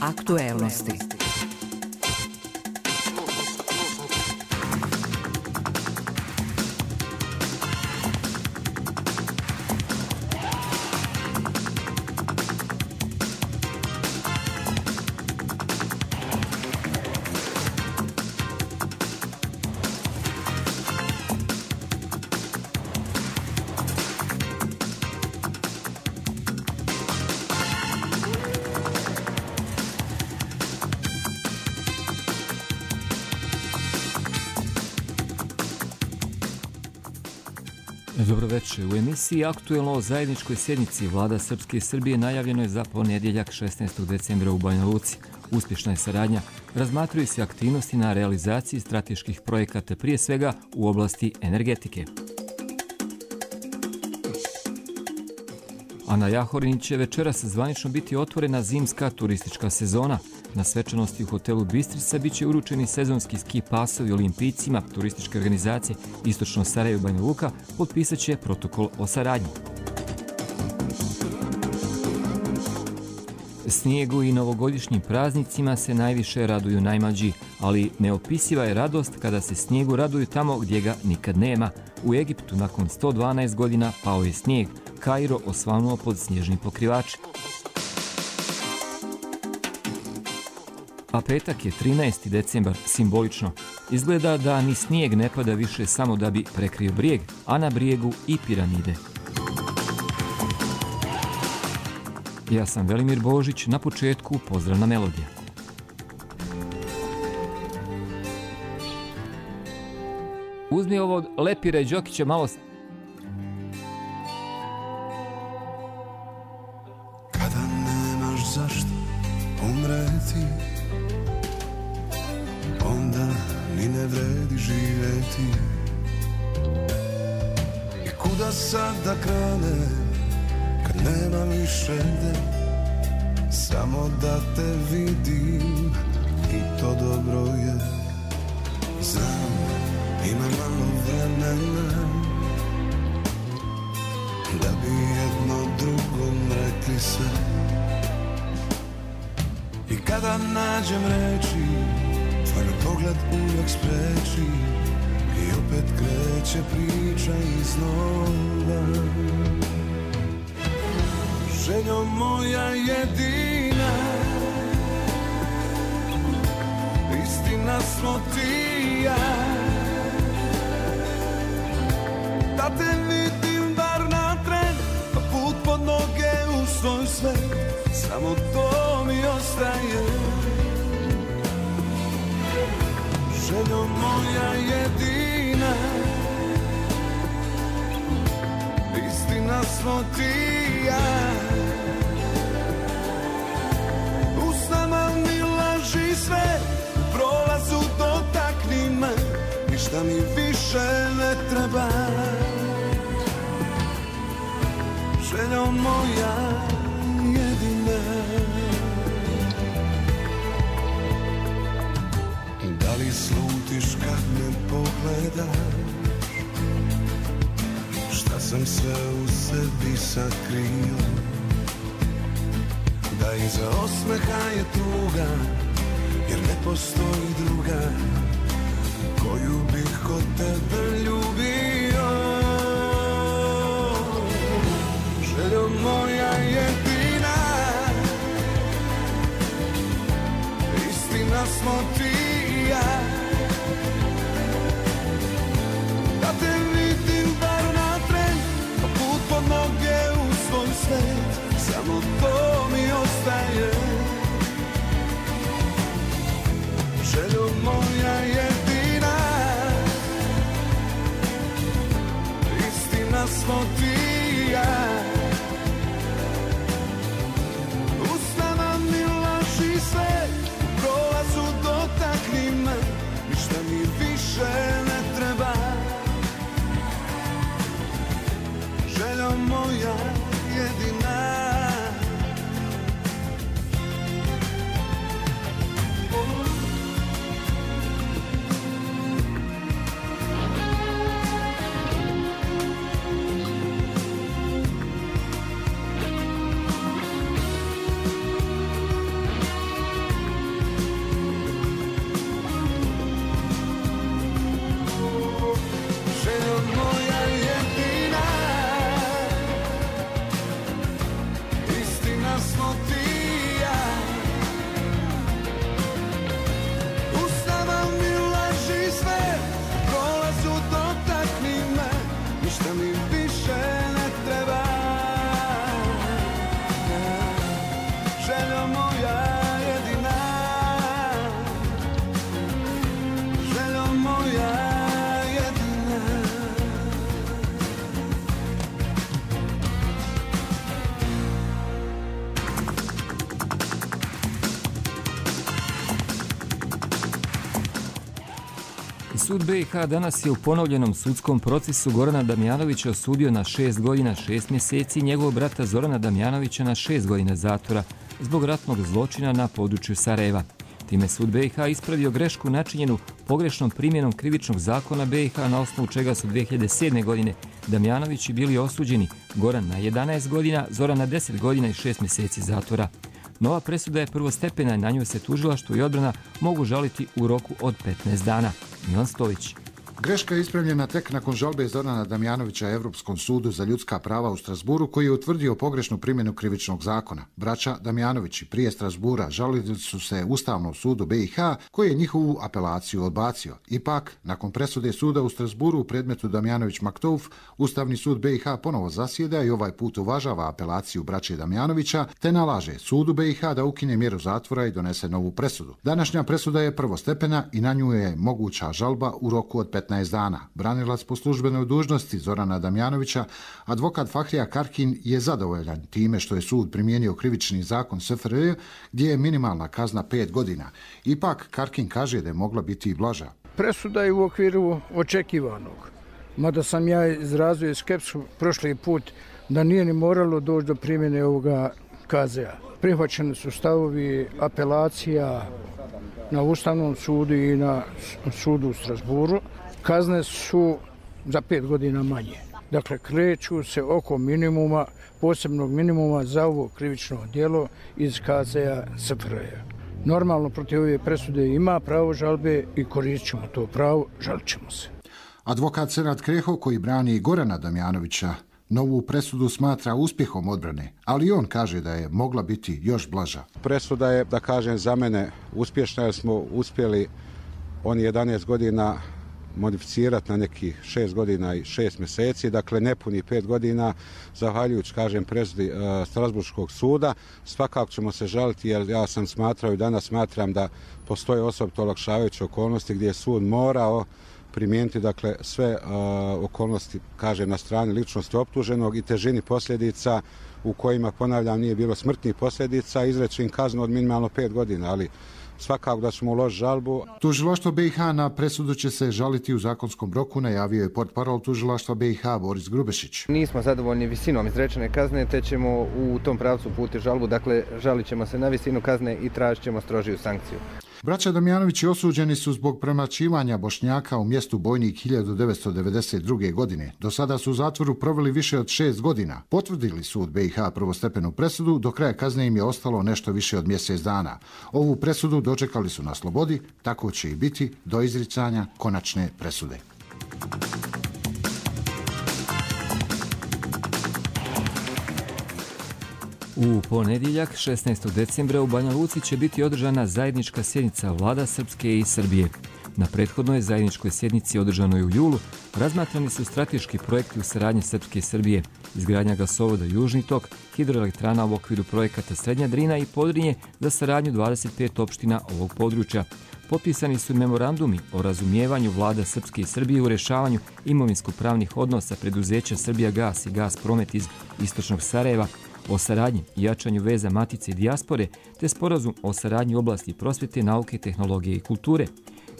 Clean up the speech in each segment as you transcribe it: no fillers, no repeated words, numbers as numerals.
Aktuelnosti. Dobroveče. U emisiji Aktuelno o zajedničkoj sjednici Vlada Srpske i Srbije najavljeno je za ponedjeljak 16. decembra u Banja Luci. Uspješna je saradnja. Razmatruju se aktivnosti na realizaciji strateških projekata, prije svega u oblasti energetike. A na Jahorini će večeras zvanično biti otvorena zimska turistička sezona. Na svečanosti u hotelu Bistrica biće uručeni sezonski ski pasovi olimpijcima. Turističke organizacije Istočno Sarajevo i Banja Luka potpisat će protokol o saradnji. Snijegu i novogodišnjim praznicima se najviše raduju najmlađi, ali neopisiva je radost kada se snijegu raduju tamo gdje ga nikad nema. U Egiptu nakon 112 godina pao je snijeg. Kairo osvanuo pod snježni pokrivač. A petak je 13. decembar, simbolično. Izgleda da ni snijeg ne pada više samo da bi prekrio brijeg, a na brijegu i piramide. Ja sam Velimir Božić, na početku pozdravna melodija. Uzmi ovo od Lepira i Đokića malo... Kada nemaš zašto umreti, onda ni ne vredi živjeti. I kuda sad da kranem, kad nema više gde, samo da te vidim i to dobro je. Znam, ima malo vremena da bi jedno drugom rekli sve. I kada nađem reči, tvoj me pogled uvijek spreči i opet kreće priča iznova. Željo moja jedina, istina smo ti i ja, da te vidim bar na tren, pa put pod noge u svoj svet, samo to mi ostaje. Željo moja jedina, istina smo ti i ja, usnama mi laži sve, u prolazu dotakni me, ništa mi više ne treba. Željo moja jedina, da li slutiš kad me pogledaš, šta sam sve u sebi sakrio, da iza osmeha je tuga, jer ne postoji druga koju bih kod tebe ljubio. Željo moja jedina, istina smo ti i ja, da te vidim bar na tren, pa put pod noge u svoj svet, samo to mi ostaje. Željo moja jedina, istina smo ti i ja, usnama mi laži sve, u prolazu dotakni me, ništa mi više ne treba. Željo moja jedina, sud BiH danas je u ponovljenom sudskom procesu Gorana Damjanovića osudio na 6 godina 6 mjeseci i njegovog brata Zorana Damjanovića na 6 godina zatvora zbog ratnog zločina na području Sarajeva. Time sud BiH ispravio grešku načinjenu pogrešnom primjenom krivičnog zakona BiH na osnovu čega su 2007. godine Damjanovići bili osuđeni, Goran na 11 godina, Zoran na 10 godina i 6 mjeseci zatvora. Nova presuda je prvostepena i na nju se tužilaštvo i odbrana mogu žaliti u roku od 15 dana. Milan Stović. Greška je ispravljena tek nakon žalbe Zorana Damjanovića Europskom sudu za ljudska prava u Strasburu, koji je utvrdio pogrešnu primjenu krivičnog zakona. Braća Damjanovići prije Strasbura žalili su se Ustavnom sudu BiH, koji je njihovu apelaciju odbacio. Ipak, nakon presude suda u Strasburu u predmetu Damjanović-Maktouf, Ustavni sud BiH ponovo zasjeda i ovaj put uvažava apelaciju braće Damjanovića, te nalaže sudu BiH da ukine mjeru zatvora i donese novu presudu. Današnja presuda je prvostepena i na nju je moguća žalba u roku od 15 dana. Branilac po službenoj dužnosti Zorana Damjanovića, advokat Fahrija Karkin, je zadovoljan time što je sud primijenio krivični zakon SFRJ, gdje je minimalna kazna 5 godina. Ipak, Karkin kaže da je mogla biti i blaža. Presuda je u okviru očekivanog, mada sam ja izrazio skepsu prošli put da nije ni moralo doći do primjene ovoga KZ-a. Prihvaćeni su stavovi apelacija na Ustavnom sudu i na sudu u Strasburu. Kazne su za 5 godina manje. Dakle, kreću se oko minimuma, posebnog minimuma za ovo krivično djelo iz KZ-a SFRJ. Normalno, protiv ove presude ima pravo žalbe i koristit ćemo to pravo, žalit ćemo se. Advokat Senad Kreho, koji brani Gorana Damjanovića, novu presudu smatra uspjehom odbrane, ali on kaže da je mogla biti još blaža. Presuda je, da kažem, za mene uspješna, jer smo uspjeli oni 11 godina modificirati na nekih 6 godina i 6 mjeseci, dakle nepuni 5 godina, zahvaljujući, kažem, presudi Strasburškog suda. Svakako ćemo se žaliti, jer ja sam smatrao i danas smatram da postoje osobito olakšavajuće okolnosti gdje je sud morao primijeniti, dakle, sve okolnosti, kažem, na strani ličnosti optuženog i težini posljedica u kojima, ponavljam, nije bilo smrtnih posljedica, izreći im kaznu od minimalno 5 godina, ali svakako da ćemo uložiti žalbu. Tužilaštvo BiH na presudu će se žaliti u zakonskom roku, najavio je portparol Tužilaštva BiH Boris Grubešić. Nismo zadovoljni visinom izrečene kazne, te ćemo u tom pravcu uputiti žalbu, dakle žalit ćemo se na visinu kazne i tražit ćemo strožiju sankciju. Braća Damjanovići osuđeni su zbog premlaćivanja Bošnjaka u mjestu Bojnik 1992. godine. Do sada su u zatvoru proveli više od 6 godina. Potvrdili sud BiH prvostepenu presudu, do kraja kazne im je ostalo nešto više od mjesec dana. Ovu presudu dočekali su na slobodi, tako će i biti do izricanja konačne presude. U ponedjeljak, 16. decembra, u Banja Luci će biti održana zajednička sjednica vlada Srpske i Srbije. Na prethodnoj zajedničkoj sjednici održanoj u julu razmatrani su strateški projekti u saradnji Srpske i Srbije, izgradnja gasovoda Južni tok, hidroelektrana u okviru projekata Srednja Drina i Podrinje za saradnju 25 opština ovog područja. Potpisani su memorandumi o razumijevanju vlada Srpske i Srbije u rješavanju imovinsko-pravnih odnosa preduzeća Srbija Gas i Gas Promet iz istočnog Sarajeva, o saradnji i jačanju veza matice i dijaspore, te sporazum o saradnji u oblasti prosvjete, nauke, tehnologije i kulture.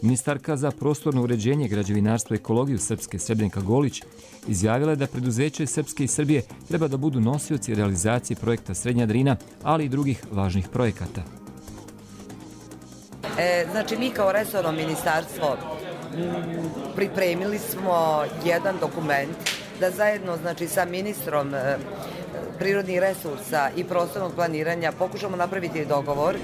Ministarka za prostorno uređenje, građevinarstvo i ekologiju Srpske Srebrnka Golić izjavila je da preduzeće Srpske i Srbije treba da budu nosioci realizacije projekta Srednja Drina, ali i drugih važnih projekata. Znači, mi kao resorno ministarstvo pripremili smo jedan dokument da zajedno, znači, sa ministrom prirodnih resursa i prostornog planiranja pokušamo napraviti dogovor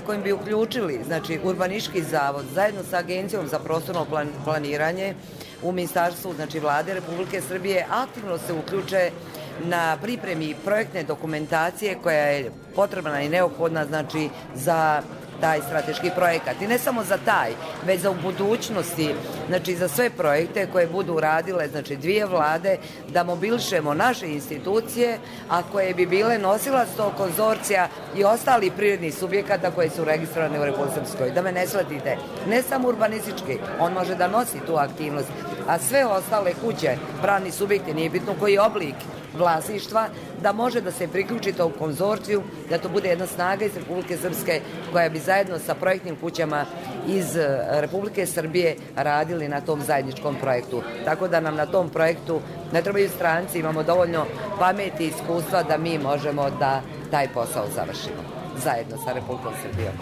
kojim bi uključili, znači, Urbanistički zavod zajedno sa Agencijom za prostorno planiranje u ministarstvu, znači, Vlade Republike Srbije, aktivno se uključe na pripremi projektne dokumentacije koja je potrebna i neophodna, znači, za taj strateški projekat. I ne samo za taj, već za u budućnosti, znači za sve projekte koje budu radile, znači, dvije vlade, da mobilišemo naše institucije, a koje bi bile nosilac tog konzorcija i ostali privrednih subjekata koji su registrovani u Republici Srpskoj. Da me ne shvatite, ne samo urbanistički, on može da nosi tu aktivnost, a sve ostale kuće, pravni subjekti, nije bitno koji oblik vlasništva, da može da se priključi to u konzorciju, da to bude jedna snaga iz Republike Srpske koja bi zajedno sa projektnim kućama iz Republike Srbije radili na tom zajedničkom projektu. Tako da nam na tom projektu ne trebaju stranci, imamo dovoljno pameti i iskustva da mi možemo da taj posao završimo zajedno sa Republikom Srbijom.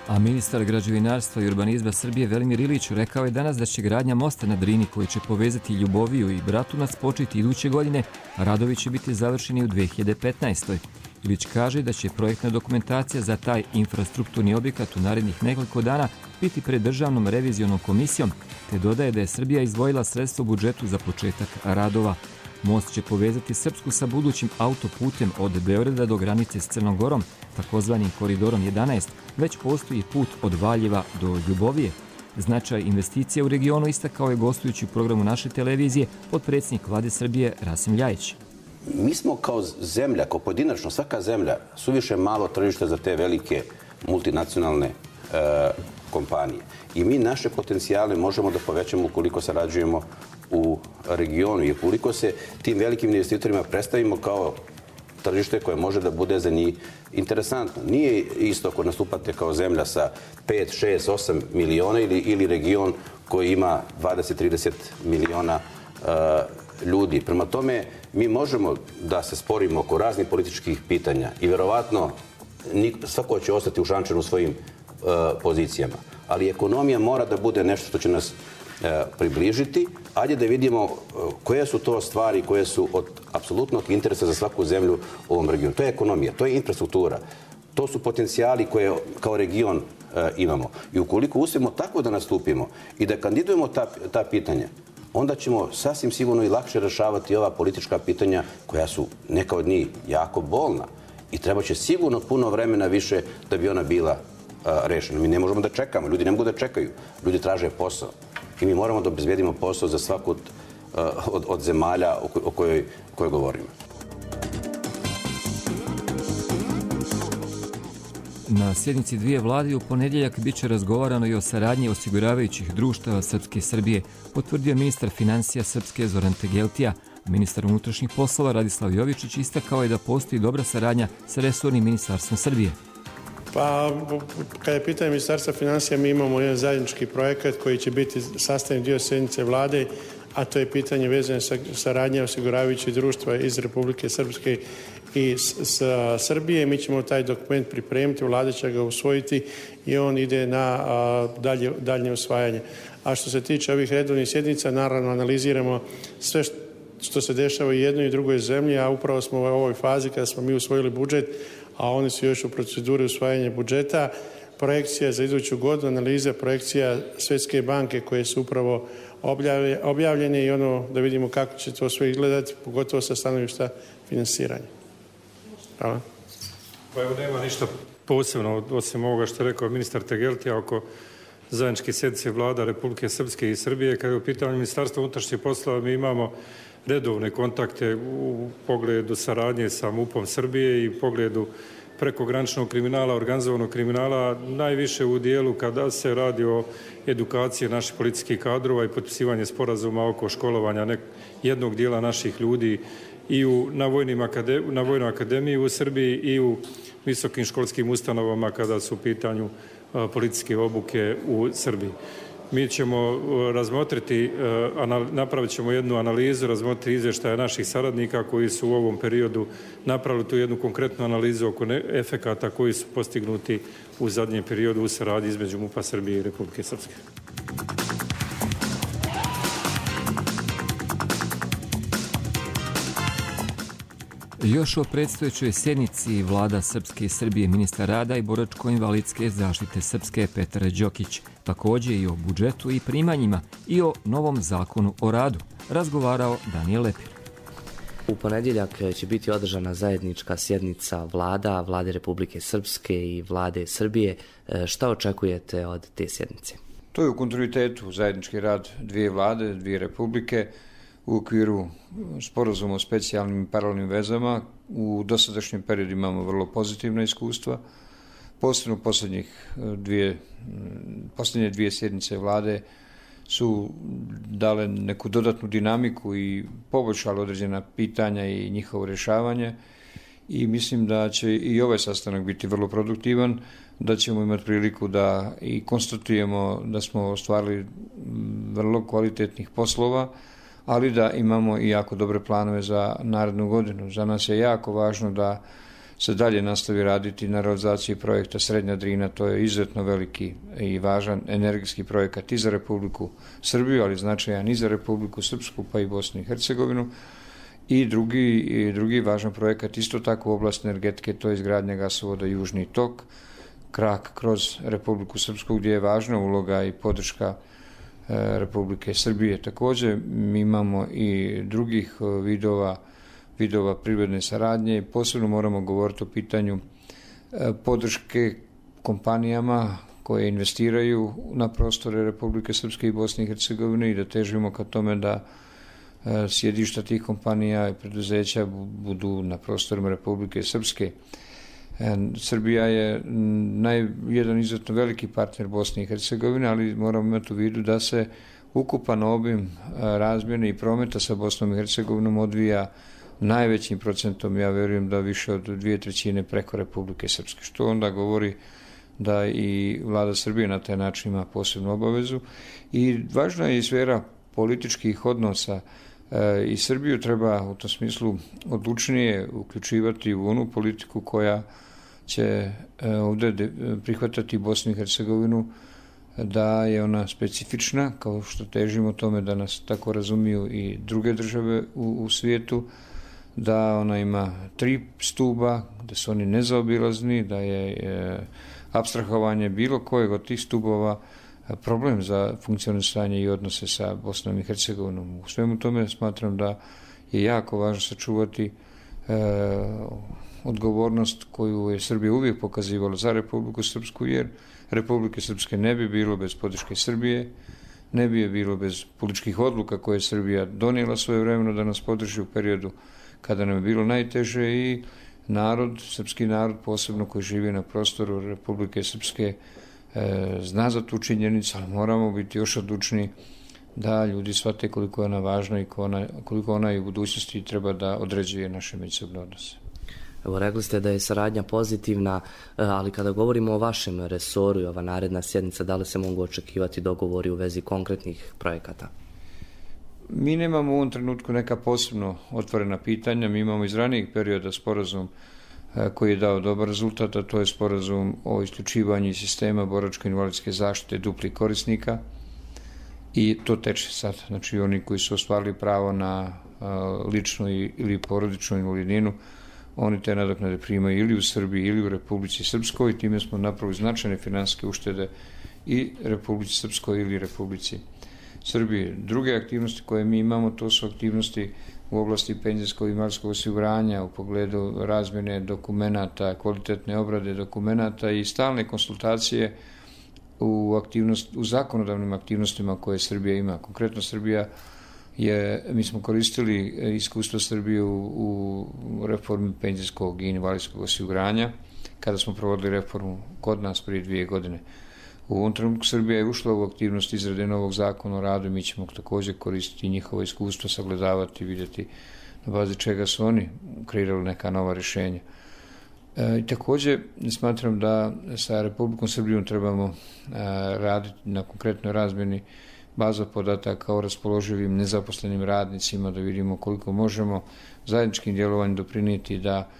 A ministar građevinarstva i urbanizma Srbije Velimir Ilić rekao je danas da će gradnja mosta na Drini koji će povezati Ljuboviju i Bratunac početi iduće godine, a radovi će biti završeni u 2015. Ilić kaže da će projektna dokumentacija za taj infrastrukturni objekat u narednih nekoliko dana biti pred državnom revizionom komisijom, te dodaje da je Srbija izdvojila sredstvo u budžetu za početak radova. Most će povezati Srpsku sa budućim autoputem od Beograda do granice s Crnom Gorom, takozvanim koridorom 11, već postoji put od Valjeva do Ljubovije. Značaj investicija u regionu istakao je gostujući u programu naše televizije potpredsjednik Vlade Srbije Rasim Ljajić. Mi smo kao zemlja, kao pojedinačno, svaka zemlja, suviše malo tržište za te velike multinacionalne kompanije. I mi naše potencijale možemo da povećamo ukoliko sarađujemo u regionu i ukoliko se tim velikim investitorima predstavimo kao tržište koje može da bude za njih interesantno. Nije isto ako nastupate kao zemlja sa 5, 6, 8 miliona ili region koji ima 20-30 miliona ljudi. Prema tome, mi možemo da se sporimo oko raznih političkih pitanja i verovatno svako će ostati u šančaru svojim pozicijama. Ali ekonomija mora da bude nešto što će nas približiti. Ajde da vidimo koje su to stvari koje su od apsolutnog interesa za svaku zemlju u ovom regionu. To je ekonomija, to je infrastruktura. To su potencijali koje kao region imamo. I ukoliko uspijemo tako da nastupimo i da kandidujemo ta pitanja, onda ćemo sasvim sigurno i lakše rešavati ova politička pitanja koja su neka od njih jako bolna i treba će sigurno puno vremena više da bi ona bila rešena. Mi ne možemo da čekamo, ljudi ne mogu da čekaju, ljudi traže posao i mi moramo da obezbedimo posao za svaku od zemalja o kojoj govorimo. Na sjednici dvije vlade u ponedjeljak biće razgovarano i o saradnji osiguravajućih društava Srpske i Srbije, potvrdio ministar financija Srpske Zoran Tegeltija. Ministar unutrašnjih poslova Radislav Jovičić istakao je da postoji dobra saradnja sa resornim ministarstvom Srbije. Pa, kada je pitanje ministarstva financija, mi imamo jedan zajednički projekat koji će biti sastavni dio sjednice vlade, a to je pitanje vezane sa saradnje osiguravajućih društva iz Republike Srpske i sa Srbije. Mi ćemo taj dokument pripremiti, vlada će ga usvojiti i on ide na daljnje usvajanje. A što se tiče ovih redovnih sjednica, naravno analiziramo sve što se dešava i jednoj i drugoj zemlji, a upravo smo u ovoj fazi kada smo mi usvojili budžet, a oni su još u proceduri usvajanja budžeta. Projekcija za iduću godinu, analiza projekcija Svjetske banke koje su upravo objavljene i ono da vidimo kako će to sve izgledati, pogotovo sa stanovišta finansiranja. Hvala. Pa evo nema ništa posebno osim ovoga što je rekao ministar Tegeltija oko zajedničke sjednice vlada Republike Srpske i Srbije. Kada je u pitanju Ministarstva unutrašnjih poslova, mi imamo redovne kontakte u pogledu saradnje sa MUP-om Srbije i u pogledu prekograničnog kriminala, organizovanog kriminala, najviše u dijelu kada se radi o edukaciji naših policijskih kadrova i potpisivanje sporazuma oko školovanja jednog dijela naših ljudi i na Vojnoj akademiji u Srbiji i u visokim školskim ustanovama kada su u pitanju policijske obuke u Srbiji. Mi ćemo razmotriti, napravit ćemo jednu analizu, razmotriti izvještaje naših saradnika koji su u ovom periodu napravili tu jednu konkretnu analizu oko efekata koji su postignuti u zadnjem periodu u saradnji između MUP-a Srbije i Republike Srpske. Još o predstojećoj sjednici vlada Srpske i Srbije ministar rada i boračko-invalidske zaštite Srpske Petar Đokić, također i o budžetu i primanjima i o novom zakonu o radu, razgovarao Danijel Lepir. U ponedjeljak će biti održana zajednička sjednica Vlade Republike Srpske i Vlade Srbije. Šta očekujete od te sjednice? To je u kontinuitetu zajednički rad dvije vlade, dvije republike, u okviru sporazuma o specijalnim i paralelnim vezama. U dosadašnjem periodu imamo vrlo pozitivna iskustva. Posebno posljednje dvije sjednice vlade su dale neku dodatnu dinamiku i poboljšale određena pitanja i njihovo rješavanje i mislim da će i ovaj sastanak biti vrlo produktivan, da ćemo imati priliku da i konstatujemo da smo ostvarili vrlo kvalitetnih poslova, ali da imamo i jako dobre planove za narednu godinu. Za nas je jako važno da se dalje nastavi raditi na realizaciji projekta Srednja Drina, to je izuzetno veliki i važan energijski projekat i za Republiku Srbiju, ali značajan i za Republiku Srpsku pa i Bosnu i Hercegovinu. I drugi važan projekat isto tako u oblasti energetike, to je izgradnja gasovoda Južni tok, krak kroz Republiku Srpsku gdje je važna uloga i podrška Republike Srbije. Također mi imamo i drugih vidova privredne saradnje. Posebno moramo govoriti o pitanju podrške kompanijama koje investiraju na prostore Republike Srpske i Bosne i Hercegovine i da težimo ka tome da sjedišta tih kompanija i preduzeća budu na prostorima Republike Srpske. Srbija je jedan izuzetno veliki partner Bosne i Hercegovine, ali moramo imati u vidu da se ukupan obim razmjene i prometa sa Bosnom i Hercegovinom odvija najvećim procentom, ja vjerujem da više od 2/3 preko Republike Srpske, što onda govori da i vlada Srbije na taj način ima posebnu obavezu. I važna je i sfera političkih odnosa i Srbiju treba u tom smislu odlučnije uključivati u onu politiku koja će ovdje prihvatati Bosnu i Hercegovinu, da je ona specifična, kao što težimo tome da nas tako razumiju i druge države u svijetu, da ona ima 3 stuba, da su oni nezaobilazni, da je apstrahovanje bilo kojeg od tih stubova problem za funkcionisanje i odnose sa Bosnom i Hercegovinom. U svemu tome smatram da je jako važno sačuvati odgovornost koju je Srbija uvijek pokazivala za Republiku Srpsku, jer Republike Srpske ne bi bilo bez podrške Srbije, ne bi je bilo bez političkih odluka koje je Srbija donijela svojevremeno da nas podrži u periodu kada nam je bilo najteže i srpski narod, posebno koji živi na prostoru Republike Srpske, zna za tu činjenicu, ali moramo biti još odlučniji da ljudi shvate koliko je ona važna i koliko ona i u budućnosti treba da određuje naše međusobne odnose. Evo, rekli ste da je saradnja pozitivna, ali kada govorimo o vašem resoru i ova naredna sjednica, da li se mogu očekivati dogovori u vezi konkretnih projekata? Mi nemamo u ovom trenutku neka posebno otvorena pitanja, mi imamo iz ranijih perioda sporazum koji je dao dobar rezultat, a to je sporazum o isključivanju sistema boračko-invalidske zaštite duplih korisnika i to teče sad. Znači oni koji su ostvarili pravo na ličnu ili porodičnu invalidninu, oni te nadoknade primaju ili u Srbiji ili u Republici Srpskoj i time smo napravili značajne finansijske uštede i Republici Srpskoj ili Republici Srbije. Druge aktivnosti koje mi imamo, to su aktivnosti u oblasti penzijskog i invalidskog osiguranja u pogledu razmjene dokumenata, kvalitetne obrade dokumenata i stalne konsultacije u zakonodavnim aktivnostima koje Srbija ima. Konkretno mi smo koristili iskustvo Srbije u reformi penzijskog i invalidskog osiguranja kada smo provodili reformu kod nas prije 2 godine. U ovom trenutku Srbija je ušla u aktivnost izrade novog zakona o radu i mi ćemo također koristiti njihovo iskustvo, sagledavati, vidjeti na bazi čega su oni kreirali neka nova rješenja. I također smatram da sa Republikom Srbijom trebamo raditi na konkretnoj razmjeni baza podataka o raspoloživim nezaposlenim radnicima, da vidimo koliko možemo zajedničkim djelovanjem doprinijeti da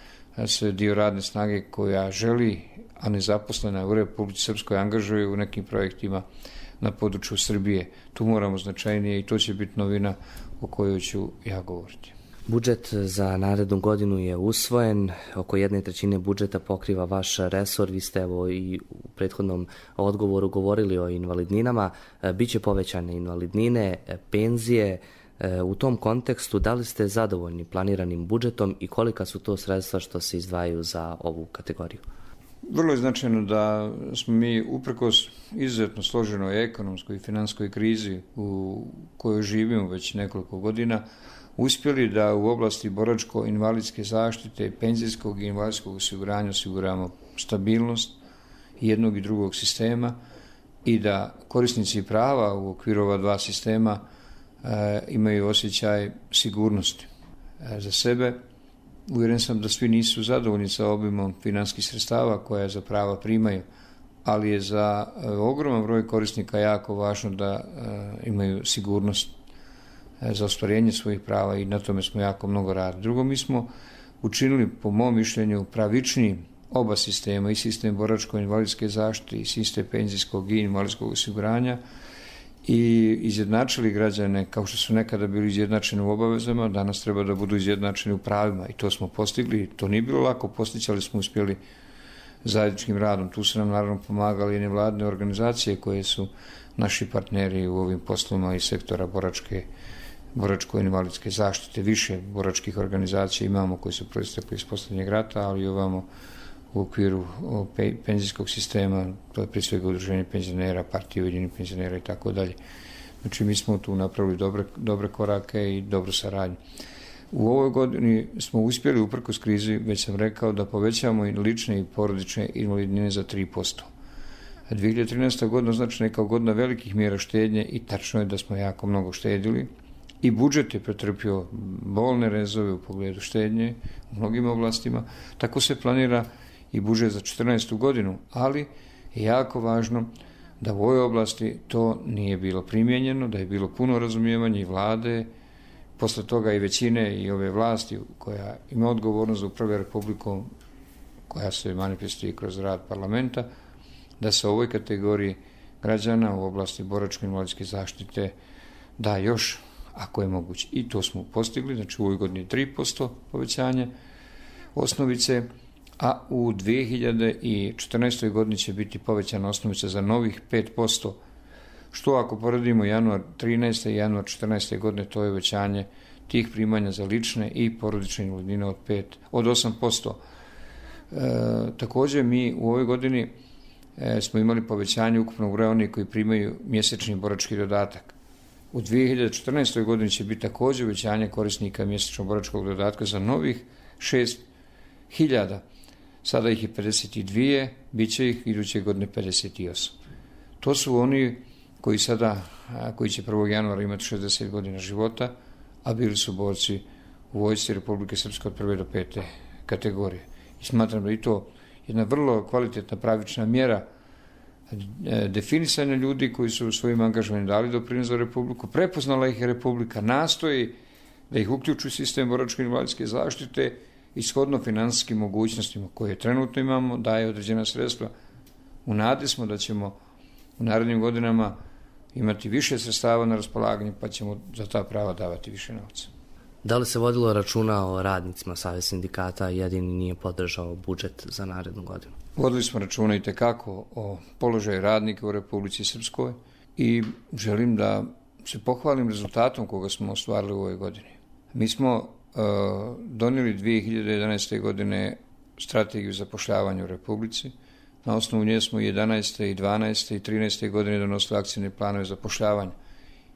se dio radne snage koja želi, a nezaposlena u Republici Srpskoj, angažuje u nekim projektima na području Srbije. Tu moramo značajnije i to će biti novina o kojoj ću ja govoriti. Budžet za narednu godinu je usvojen, oko 1/3 budžeta pokriva vaš resor, vi ste evo i u prethodnom odgovoru govorili o invalidninama, biće povećane invalidnine, penzije. U tom kontekstu, da li ste zadovoljni planiranim budžetom i kolika su to sredstva što se izdvajaju za ovu kategoriju? Vrlo je značajno da smo mi uprkos izuzetno složenoj ekonomskoj i finanskoj krizi u kojoj živimo već nekoliko godina, uspjeli da u oblasti boračko-invalidske zaštite, penzijskog i invalidskog osiguranja osiguramo stabilnost jednog i drugog sistema i da korisnici prava u okviru ova dva sistema imaju osjećaj sigurnosti za sebe. Uvjeren sam da svi nisu zadovoljni sa obimom financijskih sredstava koja za prava primaju, ali je za ogroman broj korisnika jako važno da imaju sigurnost za ostvarenje svojih prava i na tome smo jako mnogo radili. Drugo, mi smo učinili, po mom mišljenju, pravičniji oba sistema, i sistem boračko-invalidske zaštite i sistem penzijskog i invalidskog osiguranja, i izjednačili građane kao što su nekada bili izjednačeni u obavezama, danas treba da budu izjednačeni u pravima i to smo postigli. To nije bilo lako postići, ali smo uspjeli zajedničkim radom. Tu su nam naravno pomagali i nevladine organizacije koje su naši partneri u ovim poslovima iz sektora boračko-invalidske zaštite. Više boračkih organizacija imamo koji su proistekli iz posljednjeg rata, ali ovamo u okviru penzijskog sistema, to je prije svega udruženje penzionera, partije Ujedinjenih penzionera i tako dalje. Znači mi smo tu napravili dobre korake i dobru saradnju. U ovoj godini smo uspjeli, uprkos krizi, već sam rekao, da povećamo i lične i porodične invalidnine za 3%. 2013. godina označena je kao godina velikih mjera štednje i tačno je da smo jako mnogo štedili i budžet je pretrpio bolne rezove u pogledu štednje u mnogim oblastima. Tako se planira i budžet za 2014. godinu, ali je jako važno da u ovoj oblasti to nije bilo primijenjeno, da je bilo puno razumijevanja i vlade, posle toga i većine i ove vlasti koja ima odgovornost za upravljanje Republikom, koja se manifestuje kroz rad parlamenta, da se ovoj kategoriji građana u oblasti boračko-invalidske zaštite da još, ako je moguće. I to smo postigli, znači u ovoj godini 3% povećanje osnovice, a u 2014. godini će biti povećana osnovica za novih 5%, što ako poredimo januar 13. i januar 14. godine, to je uvećanje tih primanja za lične i porodične invalidnine od 8%. Također mi u ovoj godini smo imali povećanje ukupnog broja onih koji primaju mjesečni borački dodatak. U 2014. godini će biti također uvećanje korisnika mjesečnog boračkog dodatka za novih 6.000. Sada ih je 52, bit će ih iduće godine 58. To su oni koji će 1. januara imati 60 godina života, a bili su borci u vojsci Republike Srpske od 1. do 5. kategorije. I smatram da je to jedna vrlo kvalitetna, pravična mjera definisanja ljudi koji su svojim angažovanjem dali doprinos za Republiku, prepoznala ih je Republika, nastoji da ih uključi u sistem boračko-invalidske zaštite i shodno finansijskim mogućnostima koje trenutno imamo, daje određena sredstva. U nadi smo da ćemo u narednim godinama imati više sredstava na raspolaganju, pa ćemo za ta prava davati više novca. Da li se vodilo računa o radnicima? Savez sindikata jedini nije podržao budžet za narednu godinu. Vodili smo računa i tekako o položaju radnika u Republici Srpskoj i želim da se pohvalim rezultatom koga smo ostvarili u ovoj godini. Mi smo donijeli 2011. godine strategiju zapošljavanja u Republici. Na osnovu nje smo 11. i 12. i 13. godine donosili akcijne planove zapošljavanja.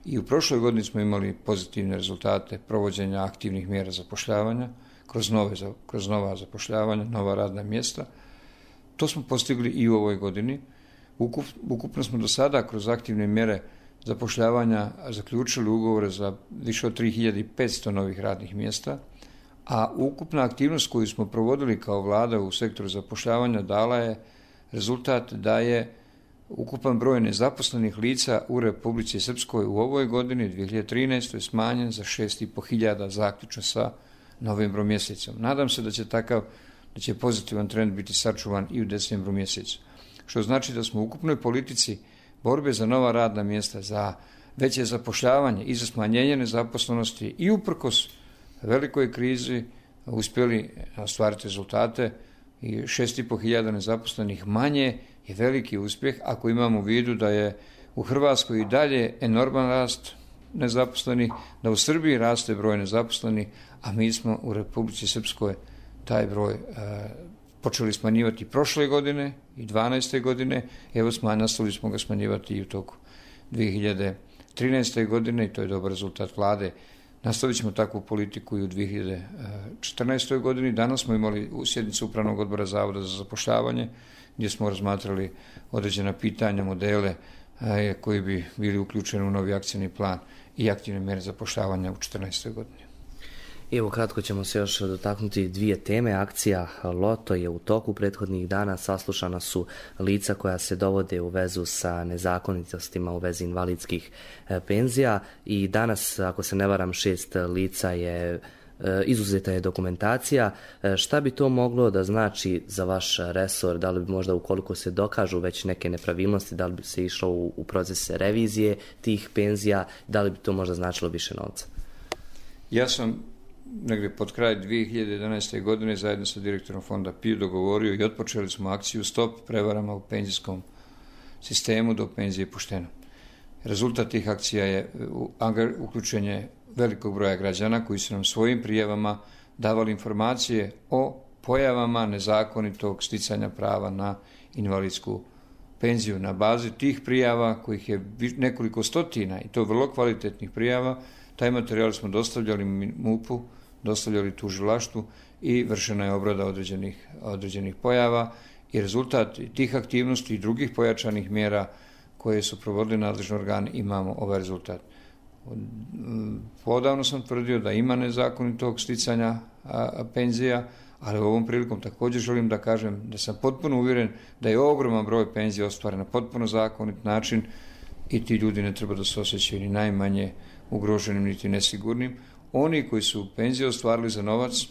I u prošloj godini smo imali pozitivne rezultate provođenja aktivnih mjera zapošljavanja kroz nova zapošljavanja, nova radna mjesta. To smo postigli i u ovoj godini. Ukupno smo do sada kroz aktivne mjere zapošljavanja zaključili ugovore za više od 3500 novih radnih mjesta, a ukupna aktivnost koju smo provodili kao vlada u sektoru zapošljavanja dala je rezultat da je ukupan broj nezaposlenih lica u Republici Srpskoj u ovoj godini, 2013. smanjen za 6.500 zaključno sa novembrom mjesecom. Nadam se da će pozitivan trend biti sačuvan i u decembru mjesecu. Što znači da smo u ukupnoj politici borbe za nova radna mjesta, za veće zapošljavanje i za smanjenje nezaposlenosti i uprkos velikoj krizi uspjeli ostvariti rezultate i 6.500 nezaposlenih manje je veliki uspjeh ako imamo u vidu da je u Hrvatskoj i dalje enorman rast nezaposlenih, da u Srbiji raste broj nezaposlenih, a mi smo u Republici Srpskoj taj broj počeli smanjivati prošle godine i 12. godine, evo nastavili smo ga smanjivati i u toku 2013. godine i to je dobar rezultat vlade. Nastavit ćemo takvu politiku i u 2014. godini. Danas smo imali sjednicu Upravnog odbora Zavoda za zapošljavanje gdje smo razmatrali određena pitanja, modele koji bi bili uključeni u novi akcijni plan i aktivne mjere zapošljavanja u 2014. godini. Evo, kratko ćemo se još dotaknuti dvije teme. Akcija Loto je u toku prethodnih dana. Saslušana su lica koja se dovode u vezu sa nezakonitostima u vezi invalidskih penzija i danas, ako se ne varam, 6 lica je izuzeta je dokumentacija. Šta bi to moglo da znači za vaš resor? Da li bi možda, ukoliko se dokažu već neke nepravilnosti, da li bi se išlo u proces revizije tih penzija, da li bi to možda značilo više novca? Ja sam negdje pod kraj 2011. godine zajedno sa direktorom fonda PIO dogovorio i otpočeli smo akciju Stop prevarama u penzijskom sistemu, do penzije pošteno. Rezultat tih akcija je uključenje velikog broja građana koji su nam svojim prijavama davali informacije o pojavama nezakonitog sticanja prava na invalidsku penziju. Na bazi tih prijava, kojih je nekoliko stotina, i to vrlo kvalitetnih prijava, taj materijal smo dostavljali MUP-u, dostavljali tužilaštvu i vršena je obrada određenih pojava i rezultat tih aktivnosti i drugih pojačanih mjera koje su provodili nadležni organi, imamo ovaj rezultat. Podavno sam tvrdio da ima nezakonitog sticanja penzija, ali ovom prilikom također želim da kažem da sam potpuno uvjeren da je ogroman broj penzija ostvaren na potpuno zakonit način i ti ljudi ne treba da se osjećaju ni najmanje ugroženim niti nesigurnim. Oni koji su penzije ostvarili za novac,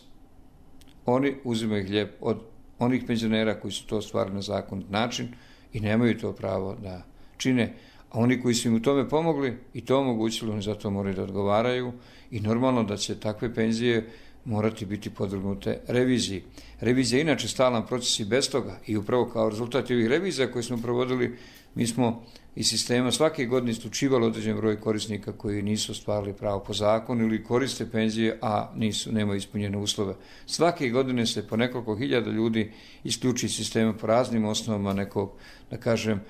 oni uzimaju hljeb od onih penzionera koji su to ostvarili na zakonit način i nemaju to pravo da čine. A oni koji su im u tome pomogli i to omogućili, oni za to moraju da odgovaraju i normalno da će takve penzije morati biti podvrgnute reviziji. Revizija je inače stalan proces i bez toga i upravo kao rezultat ovih revizija koje smo provodili, mi smo iz sistema svake godine isključivali određen broj korisnika koji nisu ostvarili pravo po zakonu ili koriste penzije, a nemaju ispunjene uslove. Svake godine se po nekoliko hiljada ljudi isključi iz sistema po raznim osnovama nekog, da kažem,